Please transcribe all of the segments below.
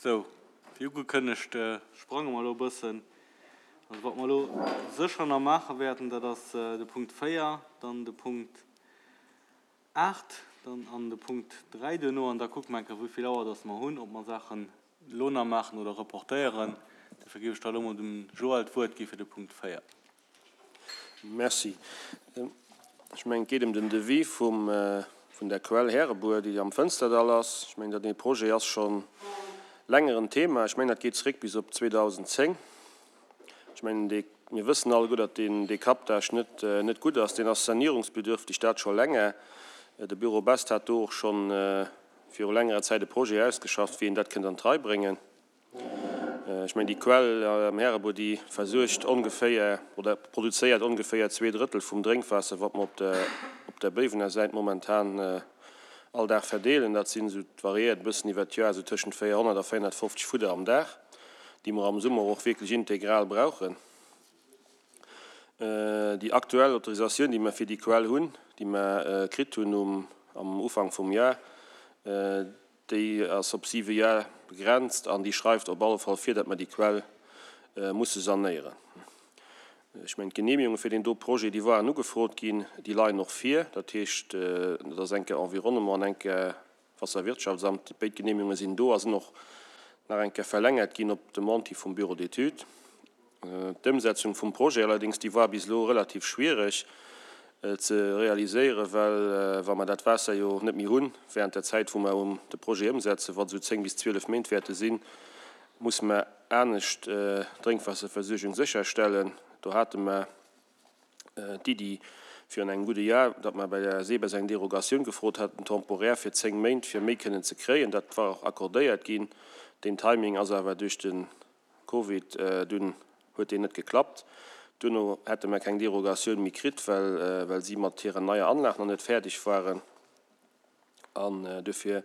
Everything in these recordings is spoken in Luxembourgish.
Sou, wéi ugekënnegt, sprange mer elo e bëssen. Also wat mer elo sécher nach maache wäerten, dat ass de Punkt 4, dann de Punkt 8, dann an de Punkt 3 duerno. An da kucke mer eng Kéier, wéi vill Auer dass mer hunn, ob mer Saachen elo nach maachen oder reportéieren. Dofir géif ech da elo mol dem Joël d'Wuert gi fir de Punkt 4. Merci. Ech mengen, et geet ëm den Devis vum, vun der Quell Härebuer, déi am Fënsterdall ass. Ech mengen, dat dee Projet ass scho länger en Thema. Ech mengen, dat geet zréck bis op 2010. Ech mengen, dee, mir wëssen alleguer, datt deen, dee Captage net, net gutt ass. Deen ass sanierungsbedürftig, dat scho länger. De Büro Best hat do och scho viru längerer Zäit e Projet ausgeschafft, wéi een dat kënnt an d'Rei bréngen. Ech mengen, déi Quell am Härebuer, déi versuergt ongeféier oder produzéiert ongeféier zweedrëttel vum Drénkwaasser, wat mer op der, op der Béiwener Säit momentan all Dag verdeelen. Dat sinn esou, et variéiert e bëssen iwwert d'Joer, esou tëschent 400 a 450 Fudder am Dag, déi mer am Summer och wierklech integral brauchen. Déi aktuell Autorisatioun, déi mer fir déi Quell hunn, déi mer kritt hunn um, am Ufank vum Jar, Déi ass op siwe Jar begrenzt an déi schreift op alle Fall vir, datt mer déi Quell musse sanéieren. Ech mengen, d'Genehmigunge fir deen do Projet, déi waren ugefrot ginn, déi leien och vir. Dat heescht, dat ass eng Kéier Environnement an eng Kéier Wasserwirtschaftsamt. Béid Genehmigunge sinn do a sinn och nach eng Kéier verlängert ginn op Demande hi vum Bureau d'études. D'Ëmsetzung vum Projet allerdéngs, déi war bis elo relativ schwiereg ze realiséieren, well wa mer dat Waasser jo net méi hunn während der Zäit, wou mer de Projet ëmsetzen, wat esou 10 bis 12 Méint wäerte sinn, musse mer anescht d'Drénkwaasserversuergung sécherstellen. Do hate mer d'Iddi virun engem gudde Jar, datt mer bei der SEBES eng Derogatioun gefrot haten, temporär fir 10 Méint, fir méi kënnen ze kréien. Dat war och accordéiert ginn. Deen Timing ass awer duerch de Covid, dunn huet deen net geklappt. Duerno hätte mer keng Derogatioun méi kritt, well well si mat hirer neier Anlag nach net fäerdeg waren. An duerfir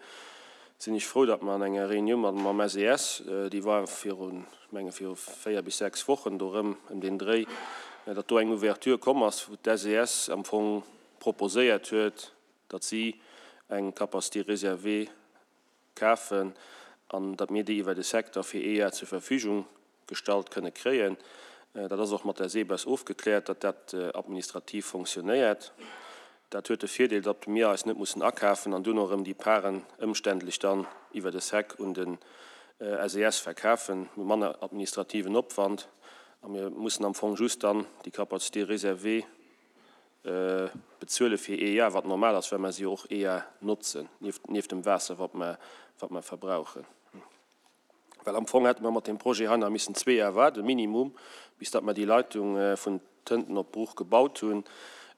sinn ech frou, datt mer an enger Reunioun mat mam SES, déi war virun, ech menge viru 4 bis 6 Wochen do erëm ëm deen Dréi, datt do eng Ouverture komm ass, wou d'SES am Fong proposéiert huet, datt si eng Capacité réservée kafen an datt mir déi iwwer de Secteur fir ee Jar zur Verfügung gestallt kënne kréien. Dat ass och mat der SEBES ofgekläert, datt dat administrativ fonctionnéiert. Dat huet de Virdeel, datt mir eis net mussen akafen an duerno erëm déi Paren ëmständlech dann iwwer de Sec un den SES verkafen. Mir hu manner administrativen Opwand a mir mussen am Fong just dann déi Capacité réservée bezuele fir ee Jar, wat normal ass, well mer se jo och ee Jar notzen, nieft dem Waasser, wat mer, wat mer verbrauchen. Well am Fong hätte mer mat deem Projet hei nach missen zwee Jar waarden, minimum, bis datt mer déi Leitung vun Tënten op Bruch gebaut hunn,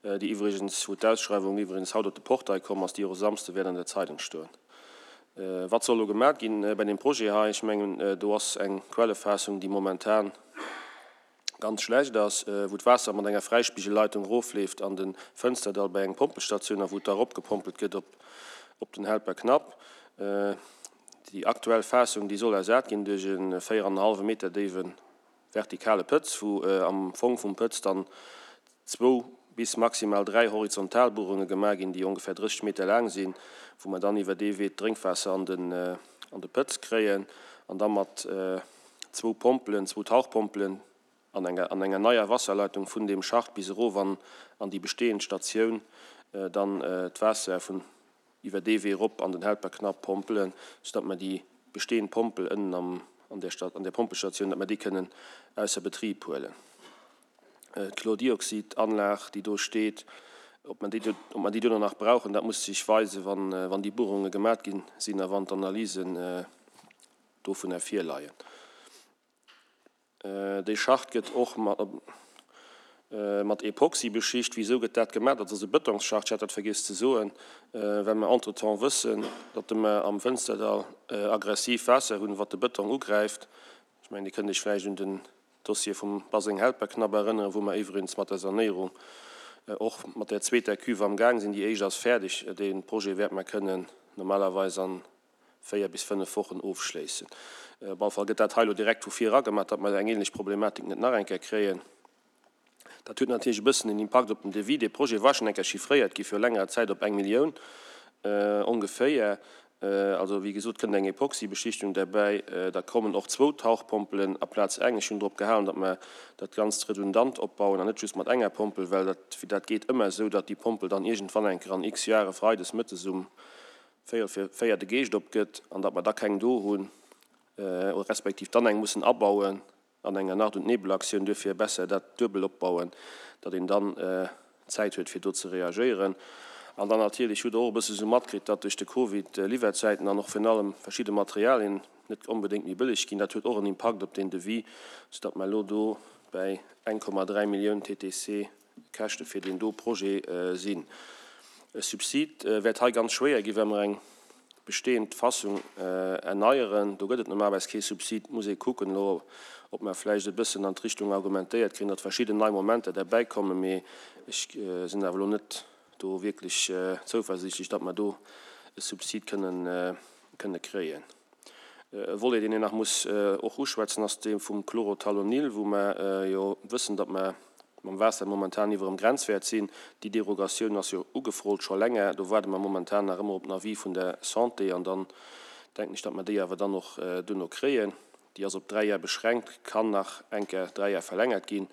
déi iwwregens, wou d'Ausschreiwung iwwregens haut op de Portail komm ass, déi och e Samsde wäert an der Zeitung stoen. Wat soll elo gemaat ginn bei deem Projet hei? Ech mengen, do ass eng Quellefaassung, déi momentan ganz schlecht ass, wou d'Waasser mat enger Fräispigelleitung erofleeft an de Fënsterdall bei eng Pompelstatioun a wou et da eropgepompelt gëtt op den Helper Knapp. Déi aktuell Faassung, déi soll ersat ginn duerch e 4 an e hallwe Meter déiwe vertikale Pëtz, wou am Fong vum Pëtz dann zwou bis maximal 3 Horizontalbuerunge gemaach ginn, déi ongefähr 30 Meter laang sinn, wou mer dann iwwer dee Wee d'Drénkwaasser an de Pëtz kréien an da mat zwou Pompelen, zwou Tauchpompelen an enger an enger neier Wasserleitung vun deem Schacht bis erof an an déi bestehend Statioun dann d'Waasser vun iwwer dee Wee erop an den Helperknapp pompelen, soudatt mer déi bestehend Pompel ënnen am an där an där Pompelstatioun, datt mer déi kënnen ausser Betrib huelen. D'Chlordioxid-Anlag, déi do steet, ob mer déi ob mer déi duerno nach brauchen, dat muss sech weisen, wann wann déi Buerunge gemat ginn sinn a wann d'Analysen dovunner virleien. Déi Schacht gëtt och mat Epoxy beschicht. Wisou gëtt dat gemaach? Dat ass e Bëtongsschacht, ech hat dat vergiess ze soen, well mer entretemps wëssen, datt mer am Fënsterdall aggressiv Waasser hunn, wat de Bëtong ugräift. Ech mengen, Dir kënnt Iech vläicht un den Dossier vum Baseng Helperknapp erënneren, wou mer iwwregens mat der Sanéierung och mat där zweeter Cuve am Gaang sinn. Déi éischt ass fäerdeg. Dee Projet wäerte mer kënnen normalerweis an 4 bis 5 Wochen ofschléissen. Op alle Fall gëtt dat hei elo direkt vu vir era gemaach, datt mer eng ähnlech Problematik net nach eng Kéier kréien. Dat huet natierlech e bëssen en Impakt op den Devis. Dee Projet war schonn eng Kéier chiffréiert gi viru längerer Zäit op eng Millioun ongeféier. Also, wéi gesot, kënnt eng Epoxybeschichtung derbäi. Da kommen och zwou Tauchpompelen aplaz eng. Ech hunn drop gehalen, datt mer dat Ganzt redundant opbauen an net just mat enger Pompel, well dat, dat geet ëmmer esou, datt déi Pompel dann iergendwann eng Kéier an x Jahre freides mëttes um véierel vir 4 de Geescht opgëtt an datt mer da keng do hunn, respektiv dann eng mussen abauen. An enger Nacht und Nebelaktioun, duerfir besser dat duebel opbauen, datt een dann Zäit huet fir do ze reagéieren. An dann natierlech hutt Der och e bësse sou matkritt, datt duerch de Covid d'Liwwerzäiten an och virun allem verschidde Materialien net onbedéngt méi bëlleg ginn. Dat huet och en Impakt op deen Devis, soudatt mer elo do bäi 1,3 Millioun TTC Käschte fir deen do Projet sinn. E Subsid wäert hei ganz schwéier ginn, well mer eng bestehend Fassung erneieren. Do gëtt et normalerweis kee Subsid. Muss ee kucken elo, ob mer vläicht e bëssen an d'Richtung argumentéiert kréien, datt verschidden nei Momenter derbäi kommen. Mee ech sinn awer elo net do wierklech zouversiichtlech, datt mer do e Subsid kënnen kréien. E Volet, deen een nach muss och uschwätzen, ass dee vum Chlorothalonil, wou mer jo wëssen, datt mer mam Waasser momentan iwwer dem Grenzwäert sinn. Déi Derogatioun ass jo ugefrot scho länger. Do waarde mer momentan nach ëmmer op den Avis vun der Santé an dann denken ech, datt mer déi awer dann och duerno kréien. Déi ass op dräi Jar beschränkt, kann nach eng Kéier dräi Jar verlängert ginn.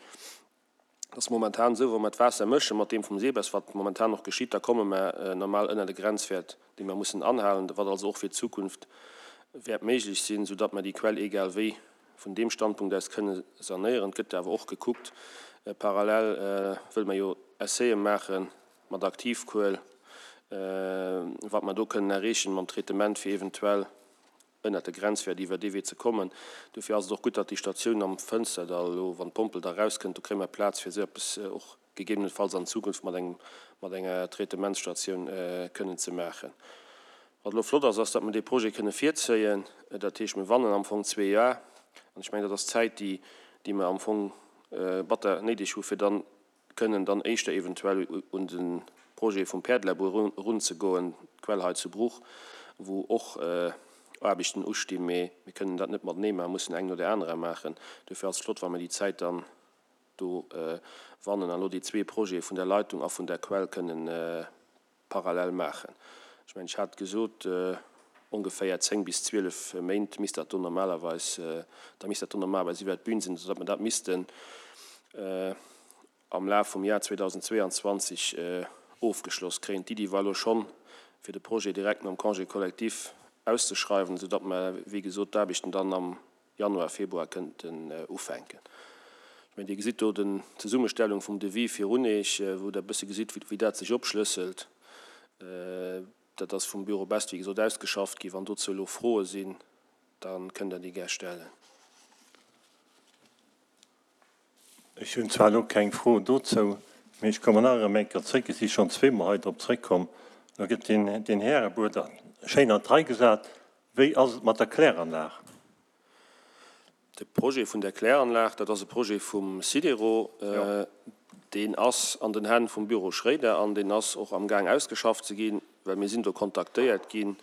Et ass momentan esou, wa mer d'Waasser mësche mat deem vum SEBES, wat momentan och geschitt, da komme mer normal ënner de Grenzwäert, dee mer mussen anhalen, wat also och fir d'Zukunft wäert méiglech sinn, soudatt mer déi Quell egal wéi vun deem Standpunkt aus kënne sanéieren. Et gëtt awer och gekuckt, parallel wëlle mer jo Essaie maache mat Aktivkuel, wat mer do kënnen erreechen mam Traitement, fir eventuell ënnert de Grenzwäert iwwer dee Wee ze kommen. Dofir ass et och gutt, datt déi Statioun am Fënsterdall elo, wann d'Pompel da erauskënnt, do kréie mer Plaz fir esou eppes och gegebenenfalls an Zukunft mat engem, mat enger Traitementsstatioun kënnen ze maachen. Wat elo flott ass, ass, datt mer dee Projet kënne virzéien. Dat heescht, mir wannen am Fong zwee Jar. An ech mengen, dat ass d'Zäit, déi, déi mer am Fong batter néideg hu fir dann kënnen dann éischter eventuell un de Projet vum Päerdelabur erunzegoen, d'Quell hei zu Bruch, wou och Aarbechten ustinn, mee mir kënnen dat net matenee maachen, mussen eng no där anerer maachen. Duerfir ass et flott, wa mir déi Zäit dann do wannen an elo déi zwee Projete vun der Leitung a vun der Quell kënnen parallel maachen. Ech mengen, ech hat gesot, ongeféier 10 bis 12 Méint misst dat do normalerweis, da misst dat do normalerweis iwwert d'Bün sinn, soudatt mer dat missten am Laf vum Jar 2022 ofgeschloss kréien. D'Iddi war elo schonn, fir de Projet direkt nom Congé collectif auszeschreiwen, soudatt mer, wéi gesot, d'Aarbechten dann am Januar, Februar kënnten ufänken. Ech mengen, Dir gesitt do den d'Zesummestellung vum Devis virun Eech, wou Der e bësse gesitt, wéi dat sech opschlësselt. Dat ass vum Büro Best, wéi gesot, ausgeschafft ginn. Wann dozou elo Froe sinn, da kënnt Der déi gär stellen. Ech hunn zwar elo keng Fro dozou, mee ech kommen nach erëm eng Kéier zréck, ech si schonn zweemol hei drop zréckkomm, Elo gëtt deen Härebuer schéin an d'Rei gesat. Wéi ass et mat der Kläranlag? De Projet vun der Kläranlag, dat ass e Projet vum SIDERO. Deen ass an den Hänn vum Büro Schréider an deen ass och amgaang ausgeschafft ze ginn, well mir sinn do kontaktéiert gi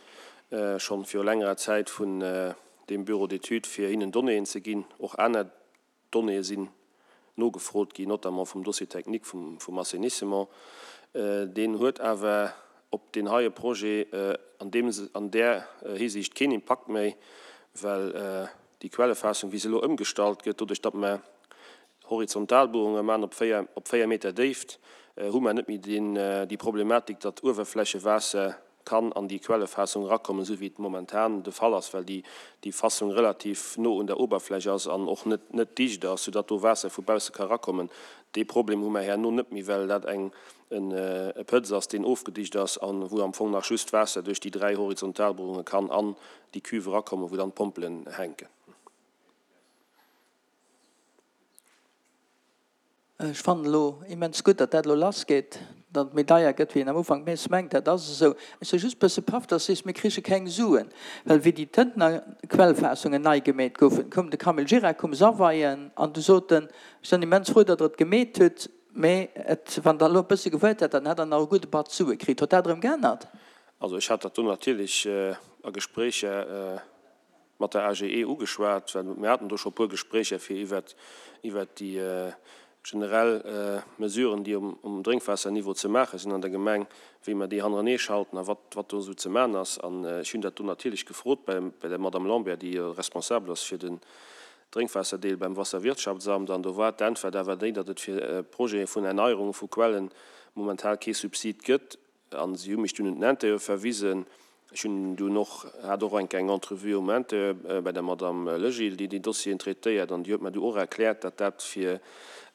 schonn viru längerer Zäit vun deem Bureau d'études, fir hinnen Donnéeën ze ginn, och aner Donnéeë sinn nogefrot ginn, notamment vum Dossier technique vum Assainissement. Deen huet awer op deen heie Projet an deem, an där Hisiicht keen Impakt méi, well déi Quellefaassung, wéi se elo ëmgestallt gëtt, doduerch datt mer Horizontalbuerunge maachen op 4, op 4 Meter Déift, hu mer net méi deen, déi Problematik, datt Uewerflächewaasser kann an déi Quellefaassung erakommen, esou wéi et momentan de Fall ass, well déi déi Fassung relativ no un der Oberfläch ass an och net net dicht ass, soudatt do Waasser vu bausse ka erakommen. Dee Problem hu mer herno net méi, well dat eng en e Pëtz ass, deen ofgedicht ass a wou am Fong nach just Waasser duerch déi 3 Horizontalbohrunge kann an déi Cuve erakommen, wou dann d'Pompelen hänken. Ech fannen elo immens gutt, datt dat elo lass geet, datt et méi deier gëtt, wéi een am Ufank mees mengt. Dat ass esou. Ech si just bësse paff, datt s sees, mir krige keng Suen, well wéi déi Tëntener Quellfaassungen nei gemeet goufen, koum de Camille Gira, koum s'aweien an du sot en, ech sinn immens frou, datt Der et gemeet hutt, mee et, wann Der elo e bësse gewuart hätt, dann hätt Der nach e gudde Batz Sue kritt. Huet dat erëm geännert? Also ech hat dat do natierlech a Gespréicher mat der AGE ugeschwat, well mir haten do scho e puer Gespréicher fir iwwert iwwert déi. Generell Mesuren, déi um Drénkwaasserniveau ze maache sinn an der Gemeng, wéi mer déi hannerenee schalten a wat wat do esou ze maachen ass. An ech hunn dat do natierlech gefrot bei der Madame Lambert, déi jo responsabel ass fir den Drénkwaasserdeel beim Wasserwirtschaftsamt. An do war d'Äntwert awer déi, datt et fir Projete vun Erneierunge vu Quellen momentan kee Subsid gëtt. An si hu mech dunn un den Intérieur verwisen. Ech hunn dunn och, hat och enk eng Entrevue um Intérieur bei der Madame Legil, déi déi Dossieren traitéiert, an déi huet mer du och erkläert, datt dat fir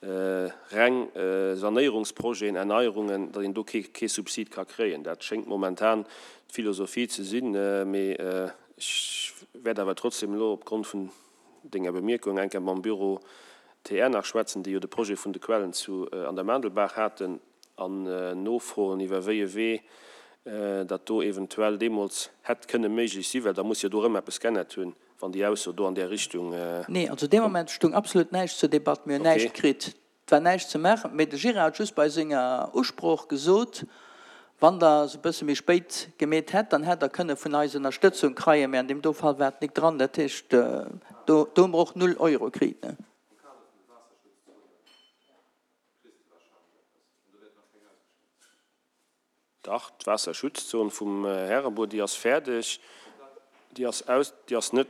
reng Sanéierungsprojeten, Erneierungen, datt een do kee, kee Subsid ka kréien. Dat schéngt momentan d'Philosophie ze sinn. Mee ech wäert awer trotzdem elo opgrond vun denger Bemierkung eng Kéier mam Büro TR nach schwätzen, déi jo de Projet vun de Quellen zu an der Maandelbaach haten. an nofroen, iwwer wéi e Wee dat do eventuell deemools hätt kënne méiglech sinn, well da muss jo do erëm eppes g'ännert hunn, wann déi Ausso do an där Richtung Nee, also dee Moment stung absolut näischt zur Debatt. Mir hunn näischt kritt. Et war näischt ze maachen. Mee de Gérard huet just bei senger Usprooch gesot, Wann Der se e bësse méi spéit gemeet hätt, dann hätt Der kënne vun eis Ënnerstëtzung kreien. Mee an deem do Fall war et nik dran. Dat heescht, do hu mer och null Euro kritt. Dach, d'Waasserschutzzon vum Härebuer, déi ass fäerdeg. Déi ass aus, déi ass net,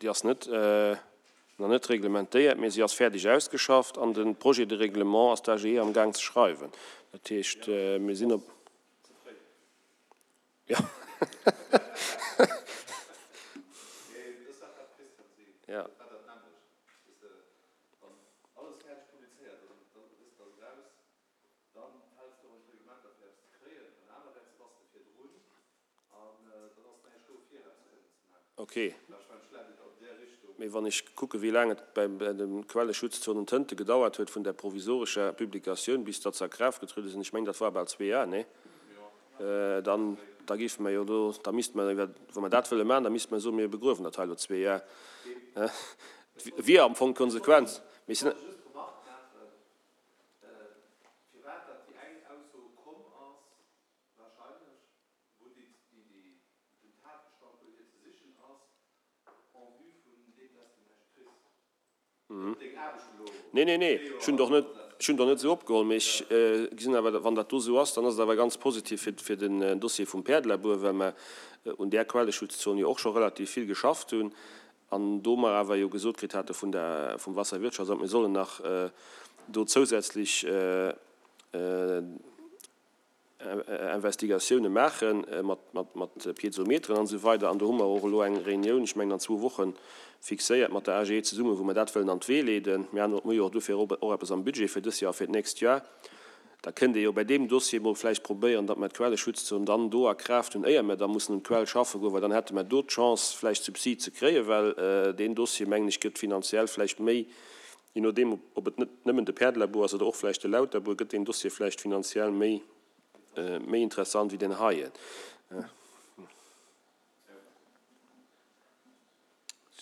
déi ass net, nach net reglementéiert, mee si ass fäerdeg ausgeschafft an de Projet de règlement ass d'AGE am Gaang ze schreiwen. Dat heescht, mir sinn op. Jo. Ja. Wann alles fäerdeg publizéiert ass an dann dëst ass eraus, dann fäls de och un d'Reglementer fir eppes ze kréien an anerwäerts bass de virdrun an dann ass näischt do fir eppes kënnen ze maachen. Ok. Warscheinlech läit et an där Richtung. Mee wann ech kucke wéi laang et bei de Quelleschutzzonen Tënte gedauert huet vun der provisorescher Publikatioun bis datt se a Kraaft getruede sinn, ech mengen dat war bal zwee Jar, nee? Dann, da géife mer jo do, da misste mer iwwer, wa mer dat wëlle maachen, da misste mer soen, mir begruewen dat hei elo zwee Jar. Wier am Fong d'Konsequenz. Mee ech sinn. Just d'Remark maachen, firwat datt déi eng Ausso komm ass, wahrscheinlech, wou déi, déi, den Tatbestand dohier ze sichen ass, en vue vun deem, dass de näischt kriss. Nee, nee, nee, ech hunn et och net, ech hunn et och net esou opgeholl, mee ech gesinn awer, wann dat do esou ass, dann ass et awer ganz positiv fir, fir den Dossier vum Päerdelabur, well mer un där Quelleschutzzon jo och scho relativ vill geschafft hunn an do mer awer jo gesot kritt hate vun der, vum Wasserwirtschaftsamt, mir sollen nach do zousätzlech Investigatioune maache mat Piezometeren an esou weider. An do hu mer och elo eng Reunioun, ech mengen an zwou Wochen, fixéiert mat der AGE zesummen, wou mer dat wëllen an d'Wee leeden. Mir hu jo och dofir och eppes am Budget fir dës Joer a fir d'nächst Joer. Da kënnt ee jo bei deem Dossier mol vläicht probéieren, datt mer d'Quelleschutzzon dann do a Kraaft hunn, éier mer da mussen un d'Quell schaffe goen, well dann hätte mer do d'Chance vläicht Subsid ze kréien, well deen Dossier, mengen ech, gëtt finanziell vläicht méi, Je nodeem, ob et net nëmmen de Päerdelabur ass oder och vläicht de Lauterbur, gëtt deen Dossier vläicht finanziell méi, méi interessant wéi deen heien.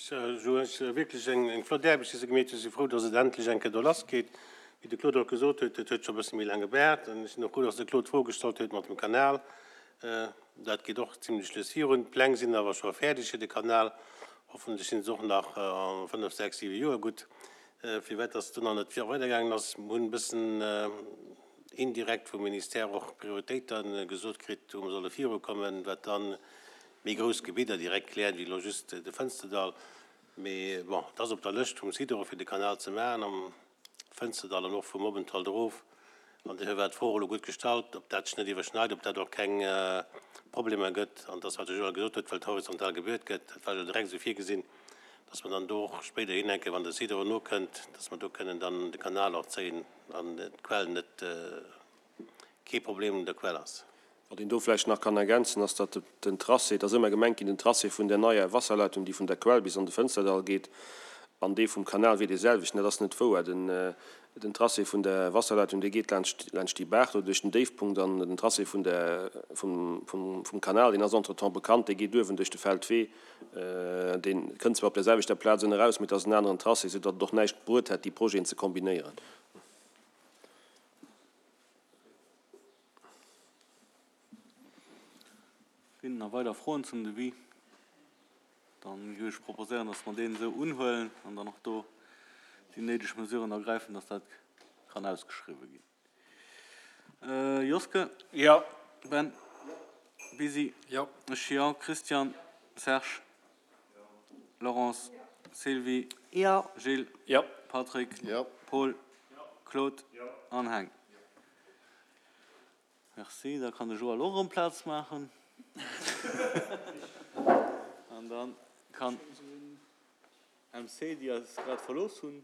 Jo, et ass wierklech eng flott Aarbecht, déi se gemeet hunn. Ech si frou, datt et endlech eng Kéier do lassgeet. Wéi de Claude och gesot huet, et huet scho e bësse méi laang gebaart. An ech sinn och frou, datt de Claude d'Fro gestallt huet mat dem Kanal. Dat geet och zimlech lues virun. D'Pläng sinn awer scho fäerdeg fir de Kanal. Hoffentlech sinn se och nach a 5, 6, 7 Joer gutt. Firwat dass et do nach net weidergaangen ass, mir hunn e bëssen indirekt vum Ministère och Prioritéite gesot kritt, wou mer solle virukommen, wat da méi grouss Gebidder direkt kläert wéi elo just de Fënsterdall. Mee bon, et ass op der Lëscht vum Sidor fir de Kanal ze maachen am Fënsterdall an och vum Obenthalt erof. An duerfir war d'Fro och elo gutt gestallt, ob dat sech net iwwerschneit, ob dat och keng Problemer gëtt. An dass, wat de Joël gesot huet, well et horizontal gebuert gëtt, dat war jo direkt esou virgesinn, dass mer dann do och spéiderhin enke, wann de Sidor nokënnt, dass mer do kënnen dann de Kanal och zéien an d'Quell net, kee Problem un der Quell ass. Wat een do vläicht nach kann ergänzen, ass, datt den Tracé, et ass ëmmer gemengt ginn, den Tracé vun där neier Wasserleitung, déi vun der Quell bis an de Fënsterdall geet, an dee vum Kanal wier dee selwechten. Dat ass net wouer. Den Tracé vun der Wasserleitung, dee geet laanscht, laanscht déi Baach do duerch den Déifpunkt, an den Tracé vun der, vum, vum, vum Kanal, deen ass entretemps bekannt, dee geet uewen duerch de Feldwee. Dee kënnt zwar op där selwechter Plaz ënne raus, mee et ass en aneren Tracé, soudatt et och näischt bruet hätt, déi Projeten ze kombinéieren. Sinn nach weider Froen zum Devis? Dann géif ech proposéieren, dass mer deen esou unhuelen an dann och do déi néideg Mesuren ergräifen, dass dat. Kann ausgeschriwwe ginn. Joske? Jo. Ben? Bisi? Jo. Ech jo. Christian? Serge? Laurence? Sylvie? Jo. Gilles? Jo. Patrick? Jo. Paul? Claude? An Heng? Merci. Da kann de Joël och erëm Plaz maachen. An da kann MC, déi eis grad verlooss hunn.